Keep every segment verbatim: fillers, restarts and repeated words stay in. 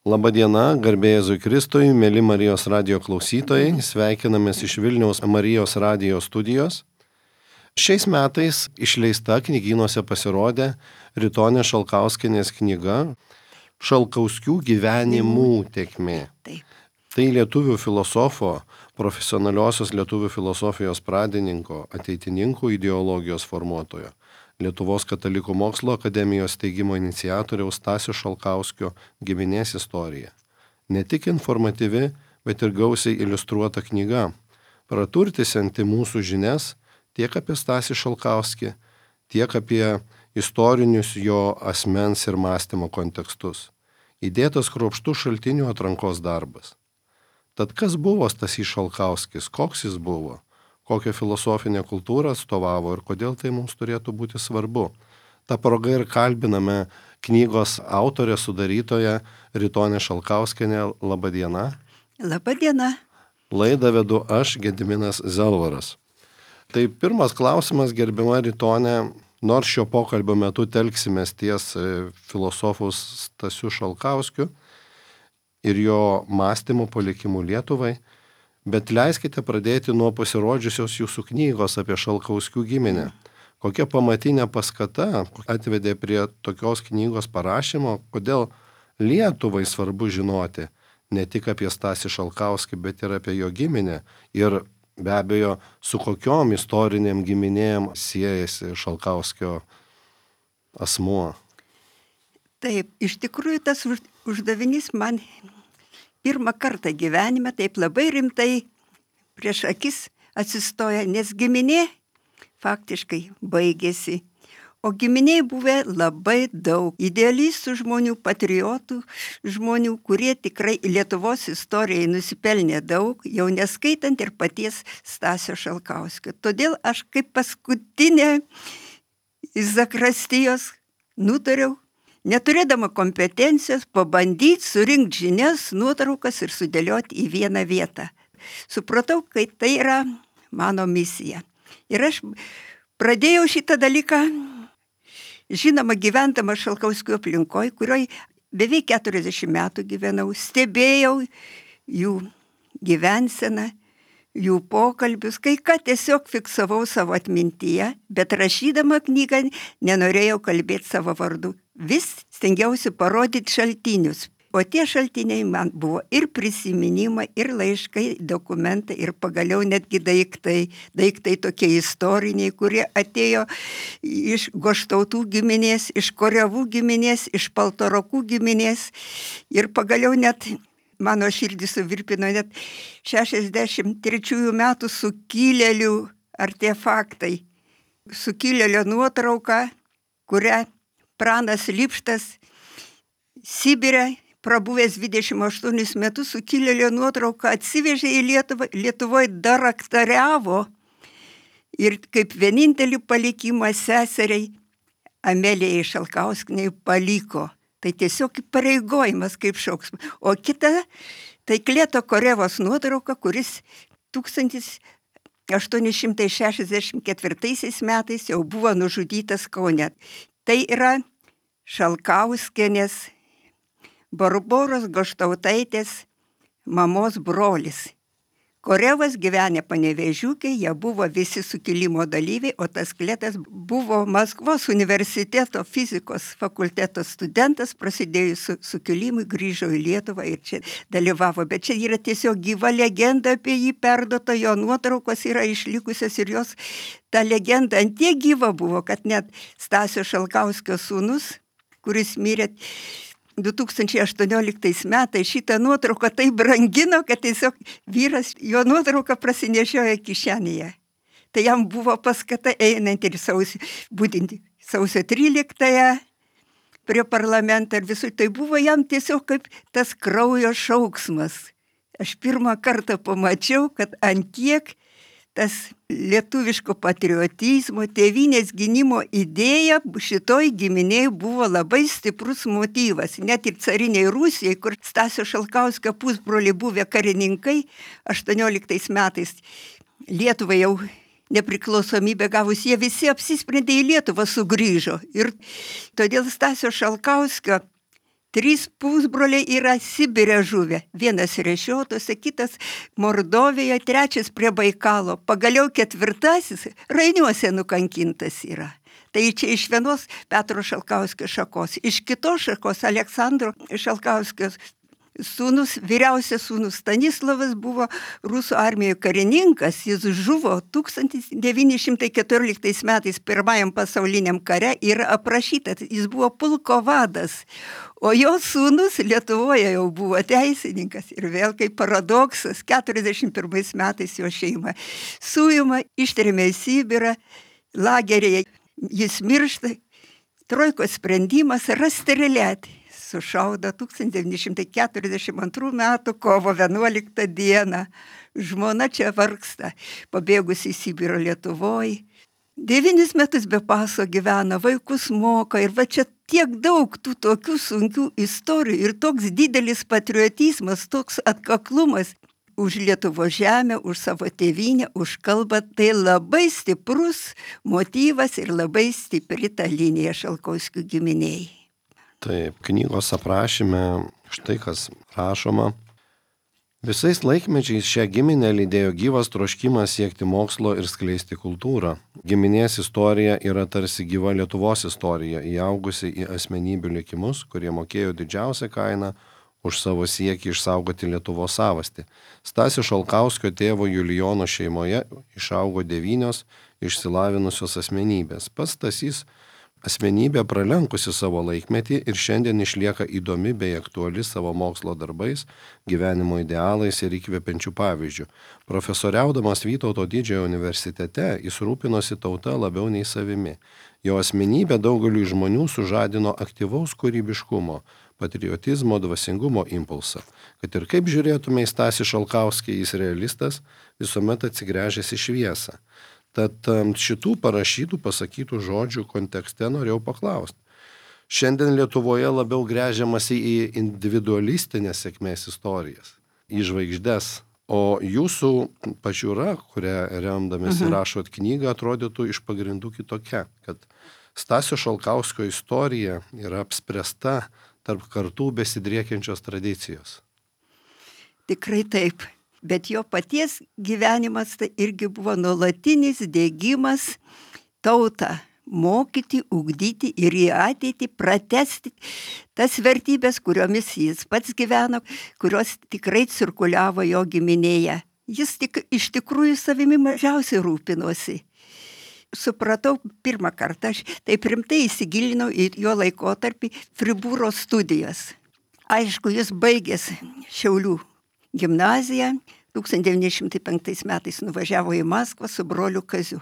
Labadiena, garbė Jėzui Kristui, mėly Marijos radijo klausytojai, sveikinamės iš Vilniaus Marijos radijo studijos. Šiais metais išleista knygynuose pasirodė Ritonės Šalkauskienės knyga Šalkauskių gyvenimų tėkmė. Taip. Tai lietuvių filosofo, profesionaliosios lietuvių filosofijos pradininko, ateitininkų ideologijos formuotojo, Lietuvos katalikų mokslo akademijos steigimo iniciatoriaus Stasio Šalkauskio giminės istorija. Ne tik informatyvi, bet ir gausiai iliustruota knyga, praturtinti mūsų žinias tiek apie Stasį Šalkauskį, tiek apie istorinius jo asmens ir mąstymo kontekstus. Įdėtas kruopštus šaltinių atrankos darbas. Tad kas buvo Stasys Šalkauskis, koks jis buvo? Kokią filosofinę kultūrą atstovavo ir kodėl tai mums turėtų būti svarbu. Ta proga ir kalbiname knygos autorę sudarytoją Ritonę Šalkauskienę. Labadiena. Labadiena. Laidą vedu aš, Gediminas Zelvaras. Tai pirmas klausimas, gerbiama Ritonė, nors šio pokalbio metu telksimės ties filosofus Stasiu Šalkauskiu ir jo mąstymo palikimu Lietuvai, bet leiskite pradėti nuo pasirodžiusios jūsų knygos apie Šalkauskių giminę. Kokia pamatinė paskata atvedė prie tokios knygos parašymo, kodėl Lietuvai svarbu žinoti ne tik apie Stasį Šalkauskį, bet ir apie jo giminę ir be abejo su kokiom istorinėm giminėm siejasi Šalkauskio asmuo. Taip, iš tikrųjų tas uždavinys man pirmą kartą gyvenime taip labai rimtai prieš akis atsistoja, nes giminė faktiškai baigėsi. O giminiai buvę labai daug idealistų žmonių, patriotų žmonių, kurie tikrai Lietuvos istorijai nusipelnė daug, jau neskaitant ir paties Stasio Šalkauskio. Todėl aš kaip paskutinė iš zakrastijos nutariau, neturėdama kompetencijos, pabandyti surinkti žinias, nuotraukas ir sudėlioti į vieną vietą. Supratau, kad tai yra mano misija. Ir aš pradėjau šitą dalyką, žinoma, gyvendama Šalkauskių aplinkoje, kurioje beveik keturiasdešimt metų gyvenau, stebėjau jų gyvenseną, jų pokalbius, kai ką tiesiog fiksavau savo atmintyje, bet rašydama knygą nenorėjau kalbėti savo vardu. Vis stengiausi parodyti šaltinius, o tie šaltiniai man buvo ir prisiminimai, ir laiškai, dokumentai, ir pagaliau netgi daiktai, daiktai tokie istoriniai, kurie atėjo iš Goštautų giminės, iš Korevų giminės, iš Paltarokų giminės, ir pagaliau net mano širdį suvirpino net šešiasdešimt trečiųjų metų sukilėlių artefaktai. Sukilėlio nuotrauka, kurią Pranas Lipštas Sibire, prabuvęs dvidešimt aštuonis metus, sukilėlio nuotrauką atsivežė į Lietuvą, Lietuvoje daraktoriavo ir kaip vienintelį palikimą seseriai Amelijai Šalkauskienei paliko. Tai tiesiog pareigojimas kaip šauksmas. O kita, tai Klėto Korevos nuotrauka, kuris tūkstantis aštuoni šimtai šešiasdešimt ketvirtaisiais metais jau buvo nužudytas Kaune. Tai yra Šalkauskienės, Barboros Goštautaitės mamos brolis. Korevas gyvenė Panevėžiukė, jie buvo visi sukilimo dalyviai, o tas Klėtas buvo Maskvos universiteto fizikos fakulteto studentas, prasidėjus sukilimui, grįžo į Lietuvą ir čia dalyvavo. Bet čia yra tiesiog gyva legenda apie jį perduota, jo nuotraukos yra išlikusios ir jos ta legenda ant tiek gyva buvo, kad net Stasio Šalkauskio sūnus, kuris mirė du tūkstančiai aštuonioliktais metais, šitą nuotrauką tai brangino, kad tiesiog vyras jo nuotrauką prasinešiojo kišenėje. Tai jam buvo paskata einant ir sausio, būtent sausio tryliktąją prie parlamento ir visų. Tai buvo jam tiesiog kaip tas kraujo šauksmas. Aš pirmą kartą pamačiau, kad ant tiek tas lietuviško patriotizmo, tėvynės gynimo idėja šitoj giminėj buvo labai stiprus motyvas. Net ir cariniai Rusijai, kur Stasio Šalkauskio pusbroliai buvę karininkai, aštuonioliktais metais Lietuvai jau nepriklausomybę gavus, jie visi apsisprendė į Lietuvą sugrįžo. Ir todėl Stasio Šalkauskio Trys pusbroliai yra Sibire žuvę. Vienas Rešiotose, kitas Mordovėje, trečias prie Baikalo. Pagaliau ketvirtasis Rainiuose nukankintas yra. Tai čia iš vienos Petro Šalkauskio šakos, iš kitos šakos Aleksandro Šalkauskio sūnus, vyriausias sūnus Stanislavas buvo rusų armijoje karininkas, jis žuvo tūkstantis devyni šimtai keturioliktais metais pirmajam pasauliniam kare ir aprašytas, jis buvo pulko vadas, o jo sūnus Lietuvoje jau buvo teisininkas ir vėl kaip paradoksas, keturiasdešimt pirmais metais jo šeima suima, ištrėmė į Sibirą, lageryje jis miršta, trojkos sprendimas rastreliuoti. Sušaudo tūkstantis devyni šimtai keturiasdešimt antrų metų kovo vienuoliktą dieną. Žmona čia vargsta, pabėgusi į Sibirą Lietuvoje. Devynis metus be paso gyvena, vaikus moka ir va čia tiek daug tų tokių sunkių istorijų ir toks didelis patriotizmas, toks atkaklumas už Lietuvos žemę, už savo tėvynę, už kalbą. Tai labai stiprus motyvas ir labai stipri ta linija Šalkauskių giminiai. Taip, knygos aprašyme štai kas rašoma. Visais laikmečiais šią giminę lydėjo gyvas troškimas siekti mokslo ir skleisti kultūrą. Giminės istorija yra tarsi gyva Lietuvos istorija, įaugusi į asmenybių likimus, kurie mokėjo didžiausią kainą už savo siekį išsaugoti Lietuvos savastį. Stasio Šalkauskio tėvo Julijono šeimoje išaugo devynios išsilavinusios asmenybės. Pats Stasys asmenybė pralenkusi savo laikmetį ir šiandien išlieka įdomi bei aktuali savo mokslo darbais, gyvenimo idealais ir įkvepiančių pavyzdžių. Profesoriaudamas Vytauto didžiojo universitete, jis rūpinosi tauta labiau nei savimi. Jo asmenybė daugeliui žmonių sužadino aktyvaus kūrybiškumo, patriotizmo, dvasingumo impulsą. Kad ir kaip žiūrėtume į Stasį Šalkauskį, jis realistas, visuomet atsigręžęs į šviesą. Tad šitų parašytų, pasakytų žodžių kontekste norėjau paklausti. Šiandien Lietuvoje labiau gręžiamasi į individualistinės sėkmės istorijas, į žvaigždes, o jūsų pažiūra, kurią remdamėsi mhm. rašot knygą, atrodytų iš pagrindų kitokia, kad Stasio Šalkauskio istorija yra apspręsta tarp kartų besidriekiančios tradicijos. Tikrai taip. Bet jo paties gyvenimas tai irgi buvo nuolatinis dėgymas tautą mokyti, ugdyti ir į ateitį pratesti tas vertybės, kuriomis jis pats gyveno, kurios tikrai cirkuliavo jo giminėje. Jis tik, iš tikrųjų savimi mažiausiai rūpinosi. Supratau pirmą kartą, aš taip rimtai įsigilinau į jo laikotarpį Fribūro studijas. Aišku, jis baigęs Šiaulių gimnaziją, tūkstantis devyni šimtai penktais metais nuvažiavo į Maskvą su broliu Kaziu.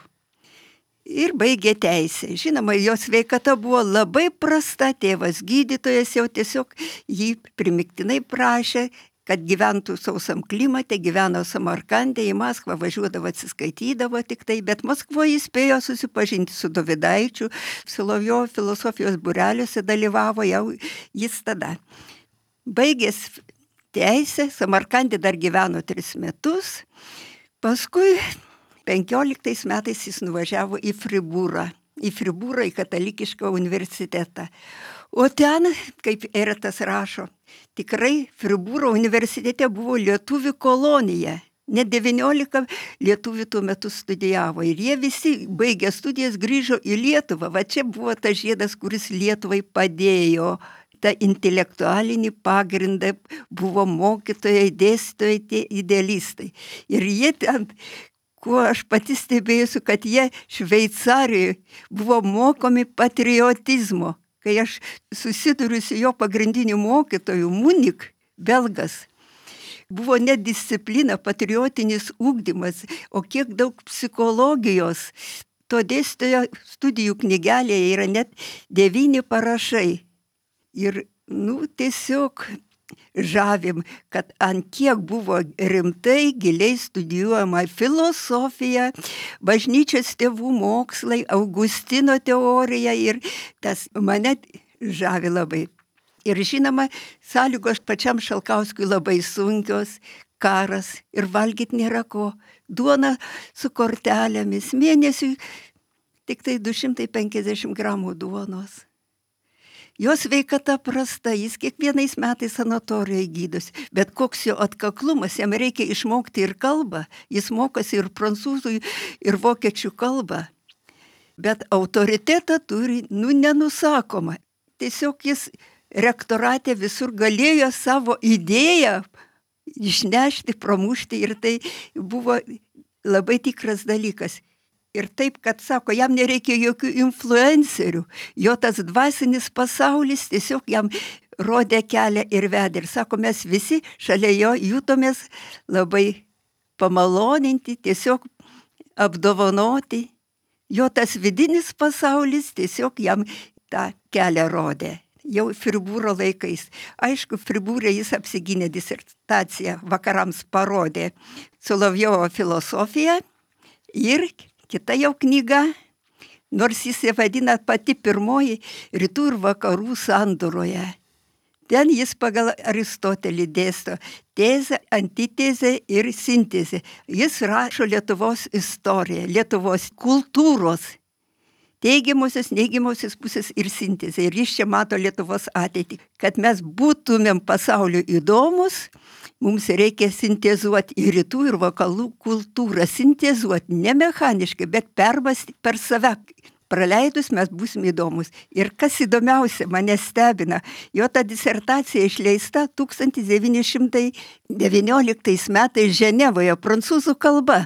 Ir baigė teisę. Žinoma, jo sveikata buvo labai prasta, tėvas gydytojas jau tiesiog jį primiktinai prašė, kad gyventų sausam klimate, gyveno Samarkande, į Maskvą važiuodavo, atsiskaitydavo tik tai, bet Maskvoje jis spėjo susipažinti su Dovydaičiu, Solovjovo filosofijos būreliuose dalyvavo jau jis tada. Baigęs teisę, Samarkande dar gyveno tris metus, paskui penkioliktais metais jis nuvažiavo į Fribūrą, į Fribūrą, į katalikišką universitetą. O ten, kaip Eretas rašo, tikrai Fribūro universitete buvo lietuvių kolonija. Net devyniolika lietuvių tuo metu studijavo ir jie visi baigę studijas grįžo į Lietuvą. Va čia buvo tas žiedas, kuris Lietuvai padėjo. Ta intelektualinį pagrindą buvo mokytojai, dėstytojai, tie idealistai. Ir jie ten, kuo aš pati stebėjusiu, kad jie Šveicarijoje buvo mokomi patriotizmo. Kai aš susiduriu su jo pagrindiniu mokytoju, Munik, belgas, buvo net disciplina, patriotinis ugdymas, o kiek daug psichologijos. To dėstytojo studijų knygelėje yra net devyni parašai. Ir, nu, tiesiog žavim, kad ant kiek buvo rimtai, giliai studijuojama filosofija, bažnyčios tėvų mokslai, Augustino teorija ir tas mane žavi labai. Ir žinoma, sąlygos pačiam Šalkauskiui labai sunkios, karas ir valgyti nėra ko, duona su kortelėmis, mėnesiui tik tai du šimtai penkiasdešimt gramų duonos. jo sveikata prasta, jis kiekvienais metais sanatorijoje gydosi, bet koks jo atkaklumas, jam reikia išmokti ir kalbą, jis mokosi ir prancūzų, ir vokiečių kalbą, bet autoritetą turi, nu, nenusakoma. Tiesiog jis rektorate visur galėjo savo idėją išnešti, pramušti ir tai buvo labai tikras dalykas. Ir taip, kad sako, jam nereikia jokių influencerių, jo tas dvasinis pasaulis tiesiog jam rodė kelią ir vedė. Ir sako, mes visi šalia jo jutomės labai pamaloninti, tiesiog apdovanoti. Jo tas vidinis pasaulis tiesiog jam tą kelią rodė. Jau Fribūro laikais. Aišku, Fribūrė jis apsigynė disertaciją, vakarams parodė Solovjovo filosofiją ir kita jau knyga, nors jis ją vadina pati pirmoji rytų ir vakarų sandūroje. Ten jis pagal Aristotelį dėsto tezę, antitezę ir sintezę. Jis rašo Lietuvos istoriją, Lietuvos kultūros, teigiamosios, neigiamosios pusės ir sintezę. Ir jis čia mato Lietuvos ateitį. Kad mes būtumėm pasaulio įdomus, mums reikia sintezuoti ir rytų ir vakarų kultūrą. Sintezuoti ne mechaniškai, bet permąstyti per save. Praleidus mes būsim įdomus. Ir kas įdomiausia, mane stebina, jo ta disertacija išleista tūkstantis devyni šimtai devynioliktais metais Ženevoje, prancūzų kalba.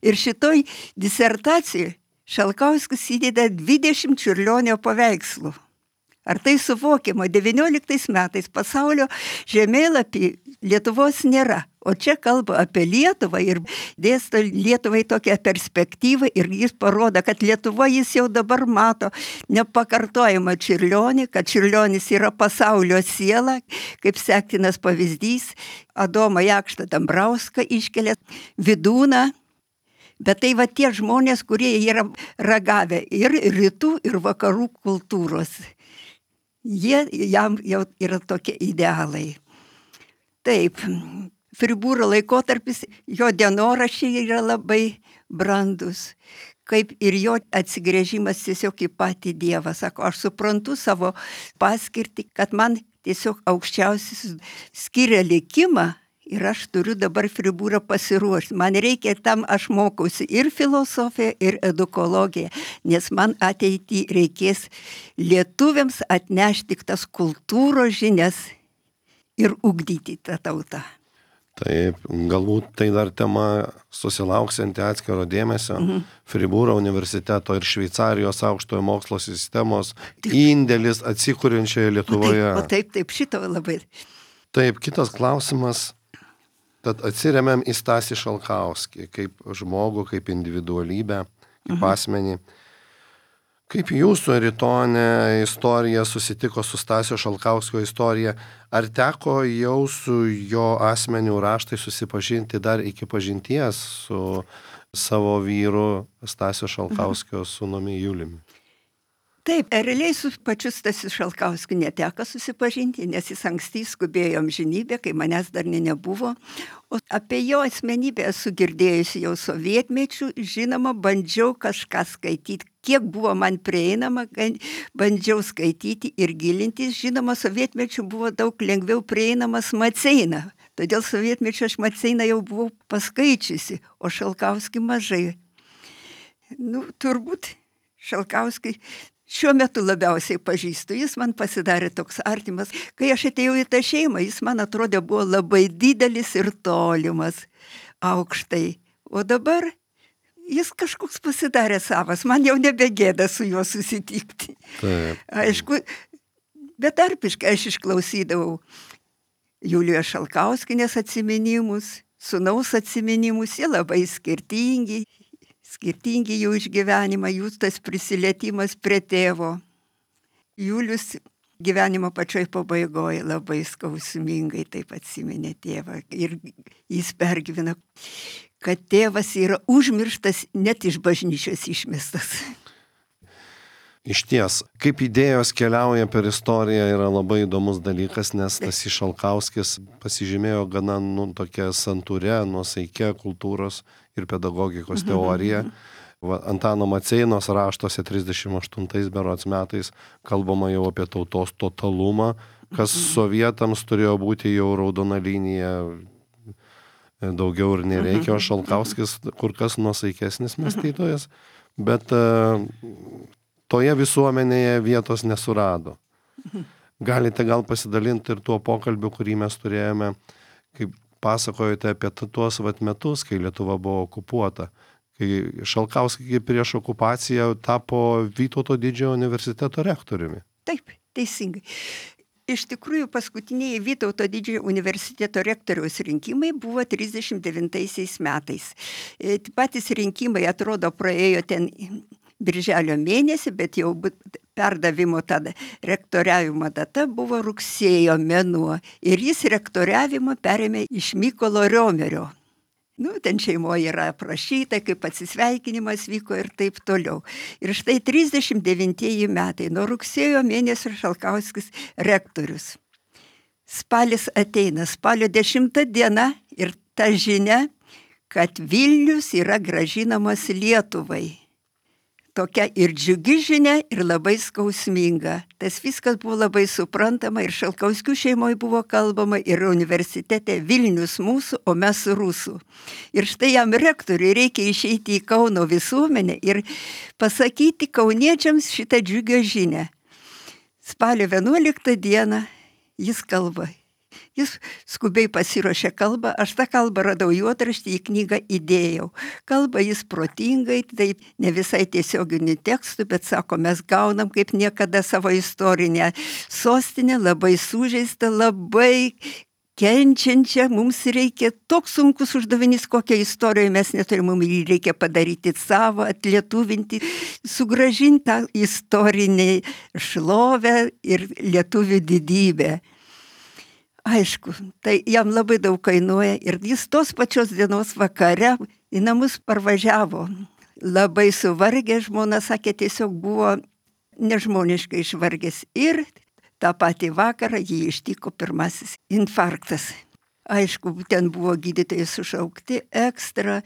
Ir šitoj disertacijoj Šalkauskis įdeda dvidešimt Čiurlionio paveikslų. Ar tai suvokiama? devynioliktais metais pasaulio žemėlapį Lietuvos nėra. O čia kalba apie Lietuvą ir dėsto Lietuvai tokią perspektyvą ir jis parodo, kad Lietuva jis jau dabar mato nepakartojamą Čiurlionį, kad Čiurlionis yra pasaulio siela, kaip sektinas pavyzdys. Adomą Jakštą Dambrauską iškelia, Vidūną. Bet tai va tie žmonės, kurie yra ragavę ir rytų, ir vakarų kultūros. Jie jam jau yra tokie idealai. Taip, Fribūro laikotarpis, jo dienoraščiai yra labai brandus, kaip ir jo atsigręžimas tiesiog į patį Dievą. Sako, aš suprantu savo paskirtį, kad man tiesiog aukščiausias skiria likimą ir aš turiu dabar Fribūrą pasiruošti. Man reikia tam, aš mokausi ir filosofiją, ir edukologiją, nes man ateityje reikės lietuviams atnešti tas kultūros žinias ir ugdyti tą tautą. Taip, galbūt tai dar tema susilauksianti atskiro dėmesio. Mhm. Fribūro universiteto ir Šveicarijos aukštojo mokslo sistemos indėlis atsikuriančioje Lietuvoje. O taip, o taip, taip, šito labai. Taip, kitas klausimas. Tad atsiremiam į Stasį Šalkauskį kaip žmogų, kaip individualybę, kaip mhm. asmenį. Kaip jūsų Eritonė istorija susitiko su Stasio Šalkauskio istorija? Ar teko jau su jo asmeniu raštai susipažinti dar iki pažinties su savo vyru Stasio Šalkauskio sūnumi Juliumi? Taip, realiai su pačiu Stasiu Šalkauskiu neteko susipažinti, nes jis anksti skubėjo amžinybę, kai manęs dar nebuvo. O apie jo asmenybę esu girdėjusi jau sovietmečių, žinoma, bandžiau kažką skaityti. Kiek buvo man prieinama, bandžiau skaityti ir gilintis. Žinoma, sovietmečių buvo daug lengviau prieinamas Maceina. Todėl sovietmečių aš Maceiną jau buvau paskaičiusi, o Šalkauskį mažai. Nu, turbūt Šalkauskį šiuo metu labiausiai pažįstu, jis man pasidarė toks artimas. Kai aš atėjau į tą šeimą, jis man atrodė buvo labai didelis ir tolimas, aukštai. O dabar jis kažkoks pasidarė savas, man jau nebegėda su juo susitikti. Taip. Aišku, betarpiškai aš išklausydavau Julijos Šalkauskienės atsiminimus, sūnaus atsiminimus, jie labai skirtingi. Skirtingi jų išgyvenimą, jų tas prisilietimas prie tėvo. Julius gyvenimo pačioj pabaigoje labai skausmingai taip atsiminė tėvą. Ir jis pergyvena, kad tėvas yra užmirštas, net iš bažnyčios išmestas. Iš ties, kaip idėjos keliauja per istoriją yra labai įdomus dalykas, nes Stasys Šalkauskis pasižymėjo gana nu, tokia santūre, nuosaikia kultūros ir pedagogikos teorija. Va, Antano Maceinos raštuose trisdešimt aštuntais berods metais kalbama jau apie tautos totalumą, kas sovietams turėjo būti jau raudona linija, daugiau ir nereikia, o Šalkauskis kur kas nuosaikesnis mąstytojas, bet uh, toje visuomenėje vietos nesurado. Galite gal pasidalinti ir tuo pokalbiu, kurį mes turėjome, kaip pasakojate apie tuos vat metus, kai Lietuva buvo okupuota, kai Šalkauskis prieš okupaciją tapo Vytauto didžiojo universiteto rektoriumi. Taip, teisingai. Iš tikrųjų, paskutiniai Vytauto didžiojo universiteto rektoriaus rinkimai buvo trisdešimt devintaisiais metais. Patys rinkimai, atrodo, praėjo ten birželio mėnesį, bet jau perdavimo tada rektoriavimo data buvo rugsėjo mėnuo. Ir jis rektoriavimą perėmė iš Mykolo Riomerio. Nu, ten šeimoje yra aprašyta, kaip atsisveikinimas vyko ir taip toliau. Ir štai trisdešimt devintieji metai, nuo rugsėjo mėnesio Šalkauskis rektorius. Spalis ateina, spalio dešimta diena ir ta žinia, kad Vilnius yra grąžinamas Lietuvai. Tokia ir džiugi žinia, ir labai skausminga. Tas viskas buvo labai suprantama ir Šalkauskių šeimoje buvo kalbama ir universitete Vilnius mūsų, o mes rusų. Ir štai jam rektoriui reikia išeiti į Kauno visuomenę ir pasakyti kauniečiams šitą džiugio žinią. Spalio vienuoliktą dieną jis kalba. Jis skubiai pasiruošė kalbą, aš tą kalbą radau juodraštį, į knygą įdėjau. Kalba jis protingai, taip ne visai tiesioginių tekstų, bet sako, mes gaunam kaip niekada savo istorinę sostinę, labai sužeistą, labai kenčiančią, mums reikia toks sunkus uždavinys, kokią istoriją mes neturim, mums reikia padaryti savo, atlietuvinti, sugrąžinti tą istorinį šlovę ir lietuvių didybę. Aišku, tai jam labai daug kainuoja ir jis tos pačios dienos vakare į namus parvažiavo. Labai suvargę, žmona sakė, tiesiog buvo nežmoniškai išvargęs. Ir tą patį vakarą jį ištiko pirmasis infarktas. Aišku, ten buvo gydytojai sušaukti ekstra.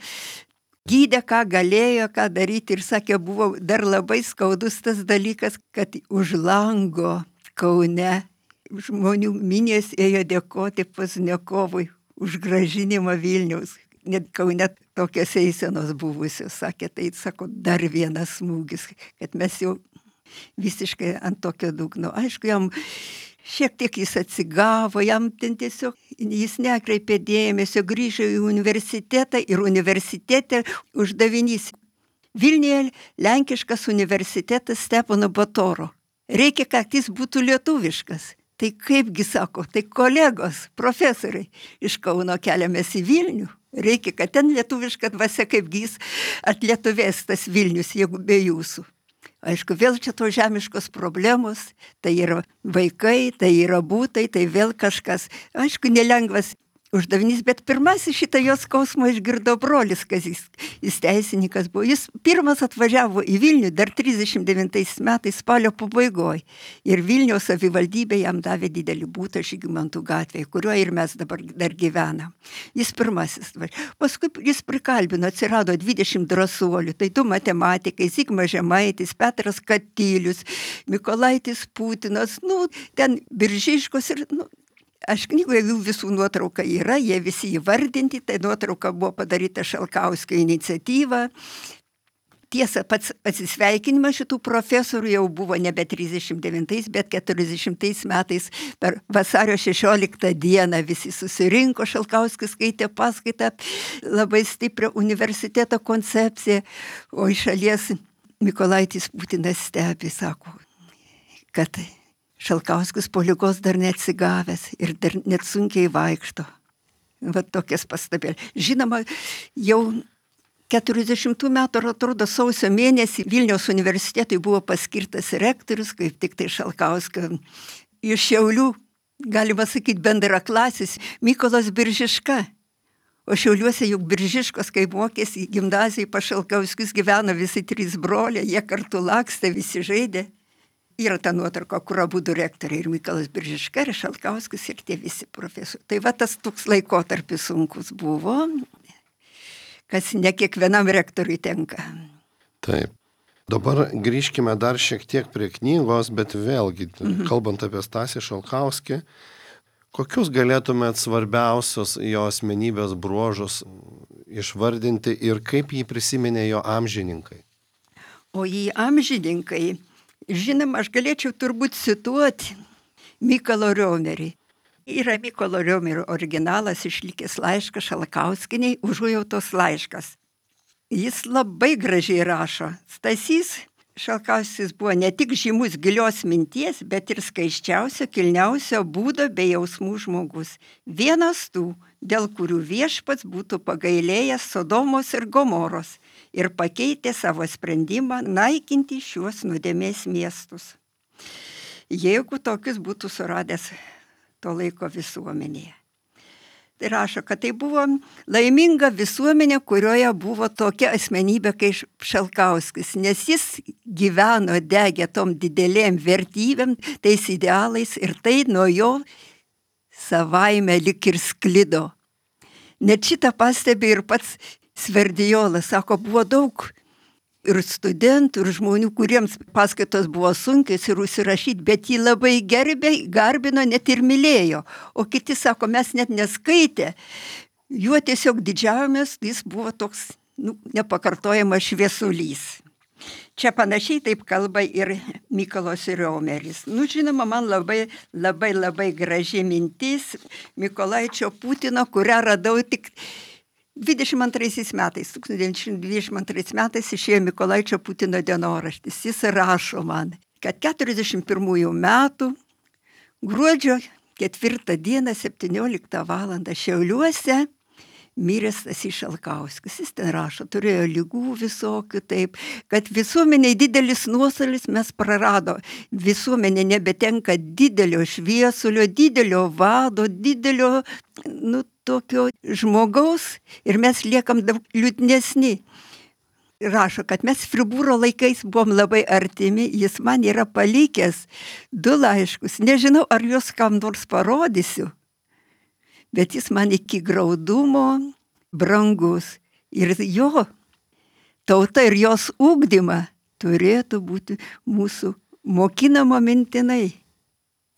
Gydė, ką galėjo, ką daryti ir sakė, buvo dar labai skaudus tas dalykas, kad už lango Kaune žmonių minės ėjo dėkoti Pozniakovui už grąžinimą Vilniaus. Net Kaune tokios eisenos buvusios. Sakė, tai sako, dar vienas smūgis, kad mes jau visiškai ant tokio dugno. Aišku, jam šiek tiek jis atsigavo, jam ten tiesiog jis nekreipė dėmesio, grįžo į universitetą ir universitete uždavinys. Vilniuje lenkiškas universitetas Stepono Batoro. Reikia, kad jis būtų lietuviškas. Tai kaipgi sako, tai kolegos, profesoriai, iš Kauno keliamės į Vilnių. Reikia, kad ten lietuviška dvasia kaipgi jis atlietuvės tas Vilnius, jeigu be jūsų. Aišku, vėl čia to žemiškos problemos, tai yra vaikai, tai yra būtai, tai vėl kažkas. Aišku, nelengvas uždavinys, bet pirmasis šitą jos skausmą išgirdo brolis Kazys. Jis teisininkas buvo. Jis pirmas atvažiavo į Vilnių dar trisdešimt devintais metais spalio pabaigoje. Ir Vilniaus savivaldybė jam davė didelį būtą Žygimantų gatvėje, kuriuo ir mes dabar dar gyvenam. Jis pirmasis. Paskui jis prikalbino, atsirado dvidešimt drąsuolių. Tai du matematikai, Zigmas Žemaitis, Petras Katylius, Mykolaitis Putinas, nu, ten Biržiškos ir... Nu, aš knygoje jų visų nuotrauka yra, jie visi įvardinti, tai nuotrauka buvo padaryta Šalkauskio iniciatyva. Tiesa, pats atsisveikinimas šitų profesorių jau buvo nebe trisdešimt devintais, bet keturiasdešimtais metais per vasario šešioliktą dieną visi susirinko, Šalkauskis skaitė paskaitą, labai stiprią universiteto koncepciją, o iš šalies Mykolaitis Putinas stebi, sako, kad Šalkauskis po ligos dar neatsigavęs ir dar net sunkiai vaikšto. Va tokias pastabėlės. Žinoma, jau keturiasdešimtų metų, atrodo, sausio mėnesį Vilniaus universitetui buvo paskirtas rektorius, kaip tik tai Šalkauskio iš Šiaulių, galima sakyti, bendraklasis Mykolas Biržiška. O Šiauliuose juk Biržiškos, kai mokėsi gimnazijai, pas Šalkauskius gyveno visi trys broliai, jie kartu lakstė, visi žaidė. Yra ta nuotrauka, kur abudu rektoriai, ir Mykolas Biržiška, ir Šalkauskis, ir tie visi profesoriai. Tai va tas toks laikotarpis sunkus buvo, kas ne kiekvienam rektoriui tenka. Taip. Dabar grįžkime dar šiek tiek prie knygos, bet vėlgi, mhm. kalbant apie Stasį Šalkauskį, kokius galėtumėt svarbiausios jo asmenybės bruožus išvardinti ir kaip jį prisiminė jo amžininkai? O jį amžininkai, žinoma, aš galėčiau turbūt cituoti Mykolo Riomerį. Yra Mykolo Riomerio originalas išlikęs laiškas Šalkauskienei, užuojautos laiškas. Jis labai gražiai rašo. Stasys Šalkauskis buvo ne tik žymus gilios minties, bet ir skaiščiausio, kilniausio būdo bei jausmų žmogus. Vienas tų, dėl kurių viešpats būtų pagailėjęs Sodomos ir Gomoros ir pakeitė savo sprendimą naikinti šiuos nuodėmės miestus. Jeigu tokius būtų suradęs to laiko visuomenėje. Tai rašo, kad tai buvo laiminga visuomenė, kurioje buvo tokia asmenybė kaip Šalkauskis, nes jis gyveno, degė tom didelėm vertybėm, tais idealais ir tai nuo jo savaime lik ir sklido. Net šitą pastebi ir pats Sverdijolas, sako, buvo daug ir studentų, ir žmonių, kuriems paskaitos buvo sunkios ir užsirašyti, bet jį labai gerbė, garbino, net ir mylėjo. O kiti sako, mes net neskaitė. Juo tiesiog didžiavomės, jis buvo toks nu, nepakartojamas šviesulys. Čia panašiai taip kalba ir Mykolas Riomeris. Nu, žinoma, man labai, labai, labai graži mintis Mykolaičio Putino, kurią radau tik dvidešimt antraisiais metais, tūkstantis devyni šimtai dvidešimt antrais metais išėjo Mykolaičio Putino dienoraštis. Jis rašo man, kad keturiasdešimt pirmųjų metų gruodžio ketvirtą dieną septynioliktą valandą Šiauliuose mirė Stasys Šalkauskis. Jis ten rašo, turėjo ligų visokių, taip, kad visuomeniai didelis nuostolis mes prarado. Visuomenė nebetenka didelio šviesulio, didelio vado, didelio, nu, tokio žmogaus ir mes liekam daug liūdnesni. Rašo, kad mes Fribūro laikais buvom labai artimi, jis man yra palikęs du laiškus. Nežinau, ar juos kam nors parodysiu, bet jis man iki graudumo brangus. Ir jo tauta ir jos ugdymą turėtų būti mūsų mokinama mintinai,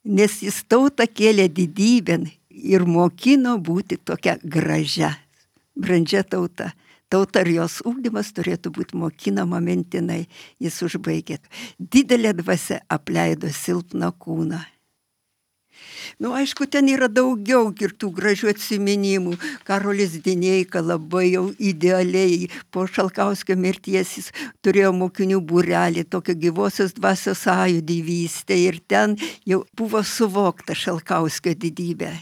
nes jis tautą kėlė didybėn ir mokino būti tokia gražia, brandžia tauta. Tauta ir jos ugdymas turėtų būti mokinama mintinai. Jis užbaigė. Didelė dvasia apleido silpną kūną. Nu, aišku, ten yra daugiau ir tų gražių atsiminimų. Karolis Dineika labai jau idealiai po Šalkauskio mirties jis turėjo mokinių būrelį, tokio gyvosios dvasios sąjūdį vystė ir ten jau buvo suvokta Šalkauskio didybė.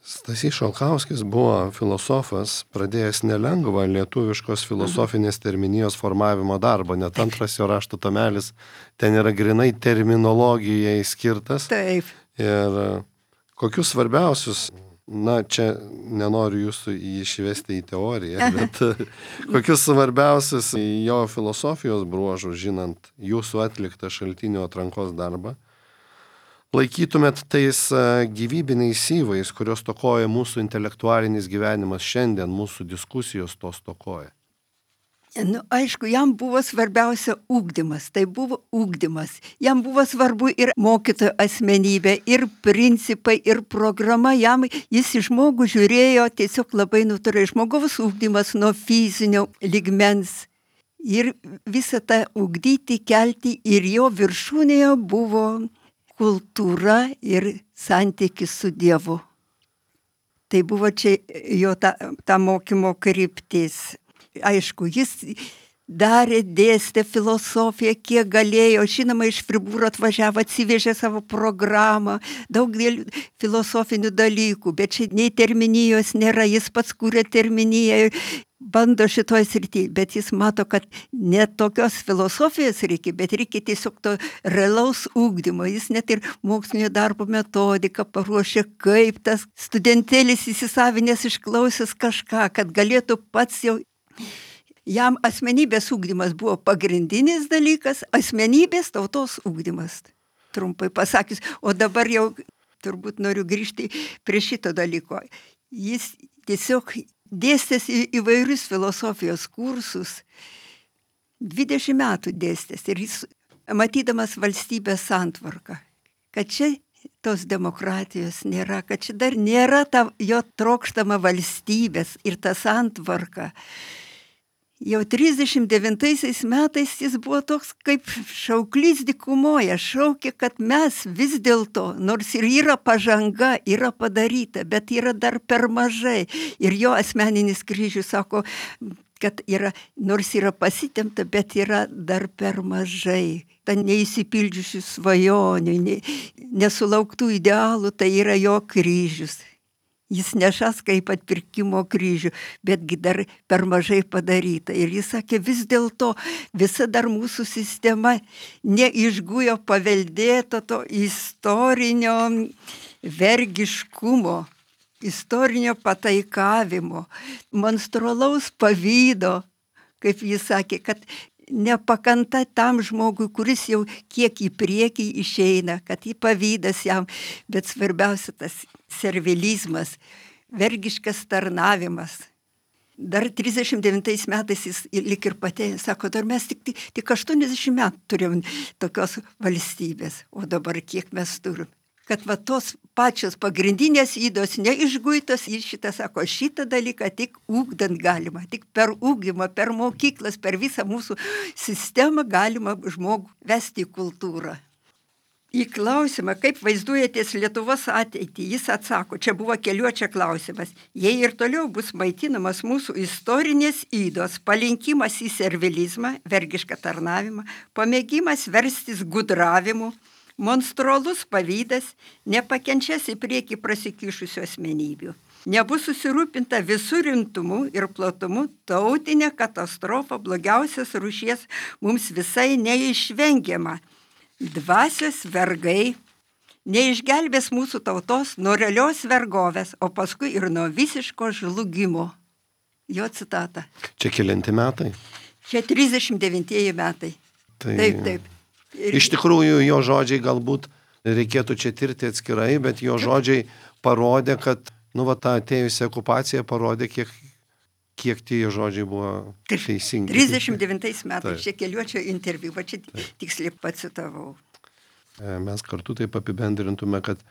Stasys Šalkauskis buvo filosofas, pradėjęs nelengvą lietuviškos filosofinės terminijos formavimo darbą, net antras jo rašto tomelis ten yra grinai terminologijai skirtas. Taip. Ir kokius svarbiausius, na, čia nenoriu jūsų išvesti į teoriją, bet kokius svarbiausius jo filosofijos bruožus, žinant jūsų atliktą šaltinių atrankos darbą, laikytumėt tais gyvybiniais syvais, kurios tokoja mūsų intelektualinis gyvenimas šiandien, mūsų diskusijos to stokoja? Nu, aišku, jam buvo svarbiausia ugdymas, tai buvo ugdymas. Jam buvo svarbu ir mokytojo asmenybė, ir principai, ir programa. Jam jis į žmogų žiūrėjo tiesiog labai natūraliai. Žmogaus ugdymas nuo fizinio lygmens. Ir visą tą ugdyti, kelti ir jo viršūnėje buvo kultūra ir santykis su Dievu. Tai buvo čia jo ta, ta mokymo kryptis. Aišku, jis darė, dėstė filosofiją, kiek galėjo. Žinoma, iš Fribūro atvažiavo, atsivežė savo programą, daug filosofinių dalykų, bet čia nei terminijos nėra, jis pats kūrė terminiją, bando šitoj srityje, bet jis mato, kad ne tokios filosofijos reikia, bet reikia tiesiog to realaus ugdymo. Jis net ir mokslinio darbo metodiką paruošė, kaip tas studentėlis įsisavinęs išklausęs kažką, kad galėtų pats jau. Jam asmenybės ugdymas buvo pagrindinis dalykas, asmenybės tautos ugdymas, trumpai pasakius. O dabar jau turbūt noriu grįžti prie šito dalyko. Jis tiesiog dėstęs į įvairius filosofijos kursus, dvidešimt metų dėstęs ir jis, matydamas valstybės santvarką, kad čia tos demokratijos nėra, kad čia dar nėra ta jo trokštama valstybės ir ta santvarka. Jau trisdešimt devintaisiais metais jis buvo toks kaip šauklys dykumoje, šaukė, kad mes vis dėlto, nors ir yra pažanga, yra padaryta, bet yra dar per mažai. Ir jo asmeninis kryžius sako, kad yra, nors yra pasitemta, bet yra dar per mažai. Ta neįsipildžiusių svajonių, ne, nesulauktų idealų, tai yra jo kryžius. Jis nešas kaip atpirkimo kryžių, betgi dar per mažai padaryta. Ir jis sakė, vis dėlto visa dar mūsų sistema neišgujo paveldėto to istorinio vergiškumo, istorinio pataikavimo, monstrualaus pavydo, kaip jis sakė, kad nepakanta tam žmogui, kuris jau kiek į priekį išeina, kad į pavydas jam, bet svarbiausia tas servilizmas, vergiškas tarnavimas. Dar trisdešimt devintais metais jis lik ir patėjo, sako, dar mes tik, tik, tik aštuoniasdešimt metų turėjom tokios valstybės, o dabar kiek mes turim. Kad va tos pačios pagrindinės ydos neišguitos, jis šitą sako, šitą dalyką tik ugdant galima, tik per ugdymą, per mokyklas, per visą mūsų sistemą galima žmogų vesti į kultūrą. Į klausimą, kaip vaizduojatės Lietuvos ateitį, jis atsako, čia buvo keliuočia klausimas, jei ir toliau bus maitinamas mūsų istorinės ydos, palinkimas į servilizmą, vergišką tarnavimą, pamėgimas verstis gudravimu, monstrualus pavydas, nepakenčias į priekį prasikišusių asmenybių. Nebus susirūpinta visų rimtumu ir platumu, tautinė katastrofa blogiausias rūšies mums visai neišvengiama. Dvasios vergai neišgelbės mūsų tautos nuo realios vergovės, o paskui ir nuo visiško žlugimo. Jo citata. Čia kelinti metai? Čia trisdešimt devintieji metai. Tai... Taip, taip. Ir... Iš tikrųjų, jo žodžiai galbūt reikėtų čia tirti atskirai, bet jo žodžiai parodė, kad, nu, va, ta atėjusi okupacija parodė, kiek, kiek tie žodžiai buvo teisingi. trisdešimt devintais metais, Taip. čia keliuočio interviu, va čia tiksliai pacitavau. Mes kartu taip apibendrintume, kad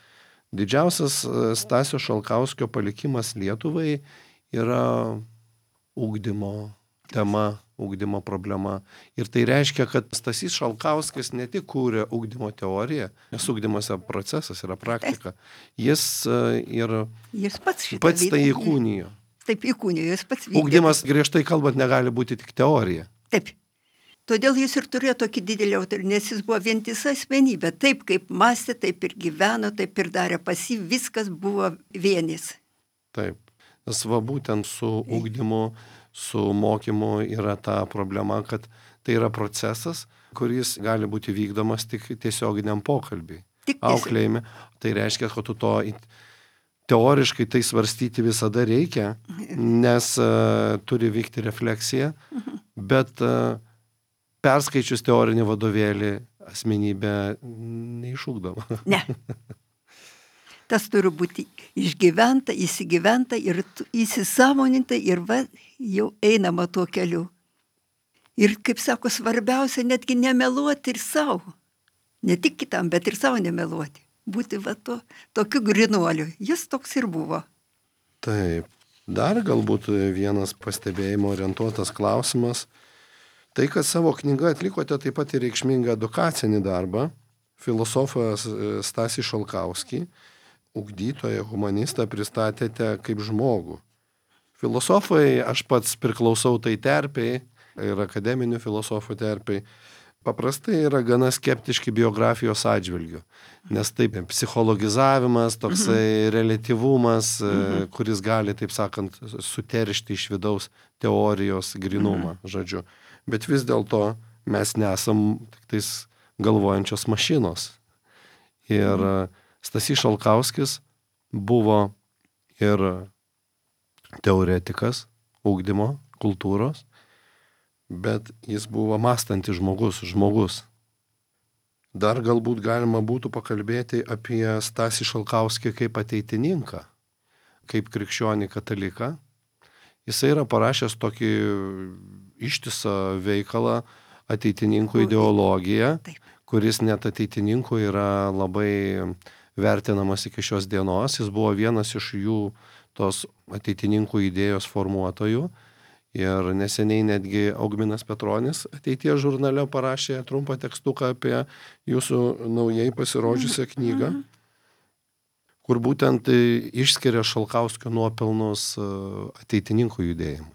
didžiausias Stasio Šalkauskio palikimas Lietuvai yra ugdymo tema, ugdymo problema. Ir tai reiškia, kad Stasys Šalkauskis ne tik kūrė ugdymo teoriją, nes ugdymas yra procesas, yra praktika. Jis ir Jis pats, pats tai įkūnijo. Taip, įkūnijo, jis pats vykdė. Ugdymas, griežtai kalbant, negali būti tik teorija. Taip. Todėl jis ir turėjo tokį didelį autoritetą, nes jis buvo vientisa asmenybė. Taip kaip mąstė, taip ir gyveno, taip ir darė. Pas jį viskas buvo vienis. Taip. Nes va būtent su ugdymu, su mokymu yra ta problema, kad tai yra procesas, kuris gali būti vykdomas tik tiesioginiam pokalbiui. Tik auklėjime. Tai reiškia, kad tu to teoriškai tai svarstyti visada reikia, nes uh, turi vykti refleksija, bet uh, perskaičius teorinį vadovėlį asmenybė neišugdoma. Ne. Tas turi būti išgyventa, įsigyventa ir įsisąmoninta ir va, jau einama tuo keliu. Ir, kaip sako, svarbiausia netgi nemeluoti ir savo. Ne tik kitam, bet ir savo nemeluoti. Būti va to, tokiu grinuoliu. Jis toks ir buvo. Taip. Dar galbūt vienas pastebėjimo orientuotas klausimas. Tai, kad savo knygą atlikote taip pat ir reikšmingą edukacinį darbą, filosofas Stasį Šalkauskį, ugdytoją, humanistą pristatėte kaip žmogų. Filosofai, aš pats priklausau tai terpiai ir akademinių filosofų terpiai, paprastai yra gana skeptiški biografijos atžvilgių, nes taip psichologizavimas, toksai relatyvumas, kuris gali, taip sakant, suteršti iš vidaus teorijos grinumą, žodžiu. Bet vis dėlto mes nesam tik tais galvojančios mašinos. Ir Stasys Šalkauskis buvo ir teoretikas ugdymo, kultūros, bet jis buvo mąstantis žmogus, žmogus. Dar galbūt galima būtų pakalbėti apie Stasį Šalkauskį kaip ateitininką, kaip krikščionį kataliką. Jisai yra parašęs tokį ištisą veikalą ateitininkų ideologija, Taip. kuris net ateitininkų yra labai vertinamas iki šios dienos. Jis buvo vienas iš jų tos ateitininkų idėjos formuotojų. Ir neseniai netgi Augminas Petronis ateities žurnale parašė trumpą tekstuką apie jūsų naujai pasirodžiusią knygą, kur būtent išskiria Šalkauskio nuopelnus ateitininkų judėjimui.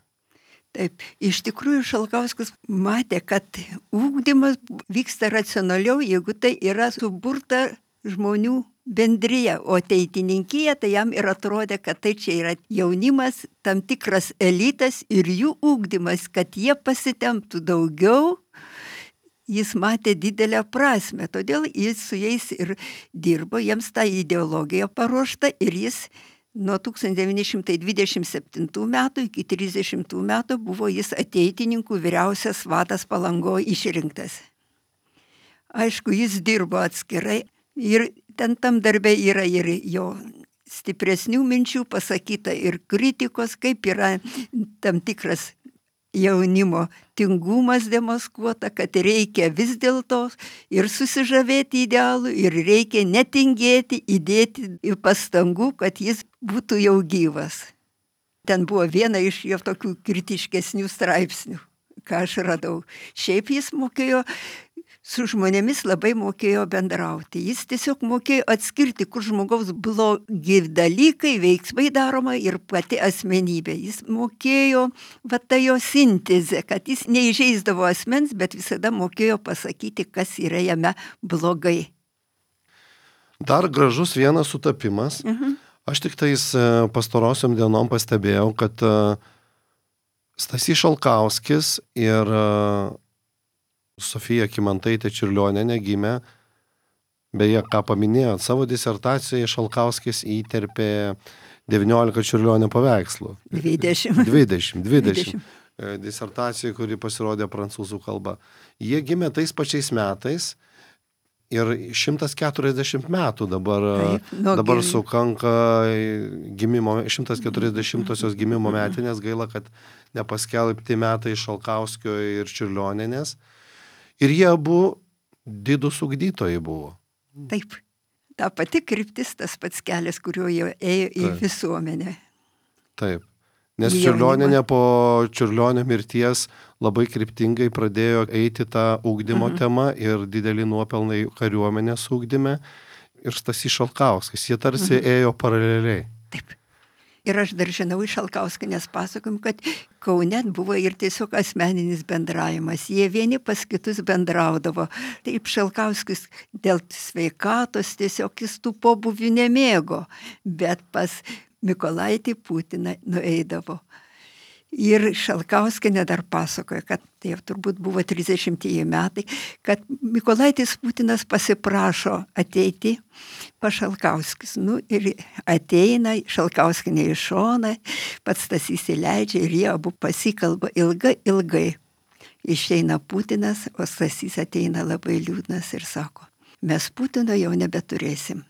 Taip, iš tikrųjų Šalkauskas matė, kad ugdymas vyksta racionaliau, jeigu tai yra suburta žmonių bendryje, o ateitininkija, tai jam ir atrodė, kad tai čia yra jaunimas, tam tikras elitas ir jų ugdymas, kad jie pasitemptų daugiau, jis matė didelę prasmę, todėl jis su jais ir dirbo, jiems tą ideologiją paruošta ir jis nuo tūkstantis devyni šimtai dvidešimt septintų metų iki trisdešimtų metų buvo jis ateitininkų vyriausias vadas Palangoje išrinktas. Aišku, jis dirbo atskirai ir ten tam darbe yra ir jo stipresnių minčių pasakyta ir kritikos, kaip yra tam tikras jaunimo tingumas demaskuota, kad reikia vis dėlto ir susižavėti idealų, ir reikia netingėti, įdėti pastangų, kad jis būtų jau gyvas. Ten buvo viena iš jo tokių kritiškesnių straipsnių, ką aš radau. Šiaip jis mokėjo, su žmonėmis labai mokėjo bendrauti. Jis tiesiog mokėjo atskirti, kur žmogaus blogi dalykai, veiksmai daroma ir pati asmenybė. Jis mokėjo, va ta jo sintezė, kad jis neįžeisdavo asmens, bet visada mokėjo pasakyti, kas yra jame blogai. Dar gražus vienas sutapimas. Mhm. Aš tik tais pastarosiom dienom pastebėjau, kad Stasys Šalkauskis ir Sofija Kymantaitė Čiurlionienė gimė, beje, ką paminėjot, savo disertacijoje Šalkauskis įterpė devyniolika Čiurlionio paveikslų. dvidešimt. dvidešimt. dvidešimt. Disertacija, kuri pasirodė prancūzų kalba. Jie gimė tais pačiais metais ir šimtas keturiasdešimt metų dabar, Taip, nu, dabar gim... sukanka gimimo, šimtas keturiasdešimtosios gimimo metinės, gaila, kad nepaskelbti metai Šalkauskio ir Čiurlionienės. Ir jie abu didūs ugdytojai buvo. Taip, ta pati kryptis, tas pats kelias, kuriuo jie ėjo į Taip. Visuomenę. Taip, nes Čiurlionienė po Čiurlionio mirties labai kryptingai pradėjo eiti tą ugdymo mhm. temą ir didelį nuopelnai kariuomenės ugdyme ir Stasys Šalkauskas. Jie tarsi mhm. ėjo paraleliai. Taip. Ir aš dar žinau iš Šalkauskienės pasakom, kad Kaune buvo ir tiesiog asmeninis bendravimas. Jie vieni pas kitus bendraudavo. Taip Šalkauskis dėl sveikatos tiesiog jis tų pobūvių nemėgo, bet pas Mykolaitį Putiną nueidavo. Ir Šalkauskienė dar pasakoja, kad tai turbūt buvo trisdešimtieji metai, kad Mykolaitis Putinas pasiprašo ateiti pas Šalkauskis. Nu, ir ateina Šalkauskienė iš šoną, pats Stasys įleidžia ir jie abu pasikalba ilgai, ilgai. Išeina Putinas, o Stasys ateina labai liūdnas ir sako, mes Putino jau nebeturėsim.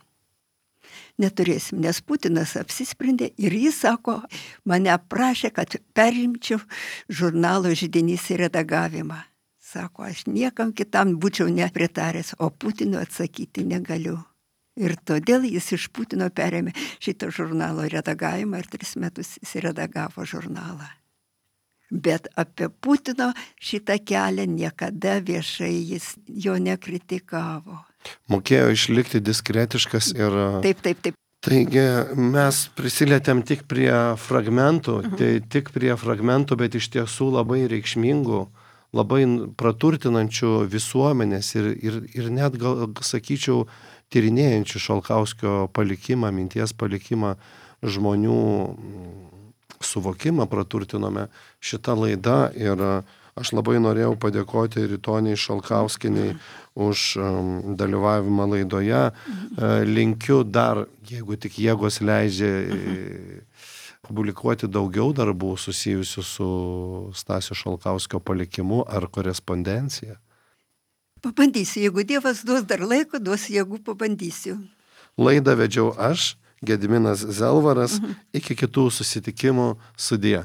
Neturėsim, nes Putinas apsisprendė ir jis sako, mane prašė, kad perimčiau žurnalo Židinys redagavimą. Sako, aš niekam kitam būčiau nepritaręs, o Putinui atsakyti negaliu. Ir todėl jis iš Putino perėmė šito žurnalo redagavimą ir tris metus jis redagavo žurnalą. Bet apie Putino šitą kelią niekada viešai jis jo nekritikavo. Mokėjo išlikti diskretiškas ir... Taip, taip, taip. Taigi mes prisilietėm tik prie fragmentų, mhm. tai tik prie fragmentų, bet iš tiesų labai reikšmingų, labai praturtinančių visuomenės ir, ir, ir net, gal sakyčiau, tyrinėjančių Šalkauskio palikimą, minties palikimą, žmonių suvokimą praturtinome šitą laidą ir aš labai norėjau padėkoti Ritoniai Šalkauskienei už um, dalyvavimą laidoje. Uh, linkiu dar, jeigu tik jėgos leidžia, publikuoti daugiau darbų susijusių su Stasio Šalkauskio palikimu ar korespondencija. Pabandysiu, jeigu Dievas duos dar laiko, duos jėgų, pabandysiu. Laidą vedžiau aš, Gediminas Zelvaras, mhm. iki kitų susitikimų, sudie.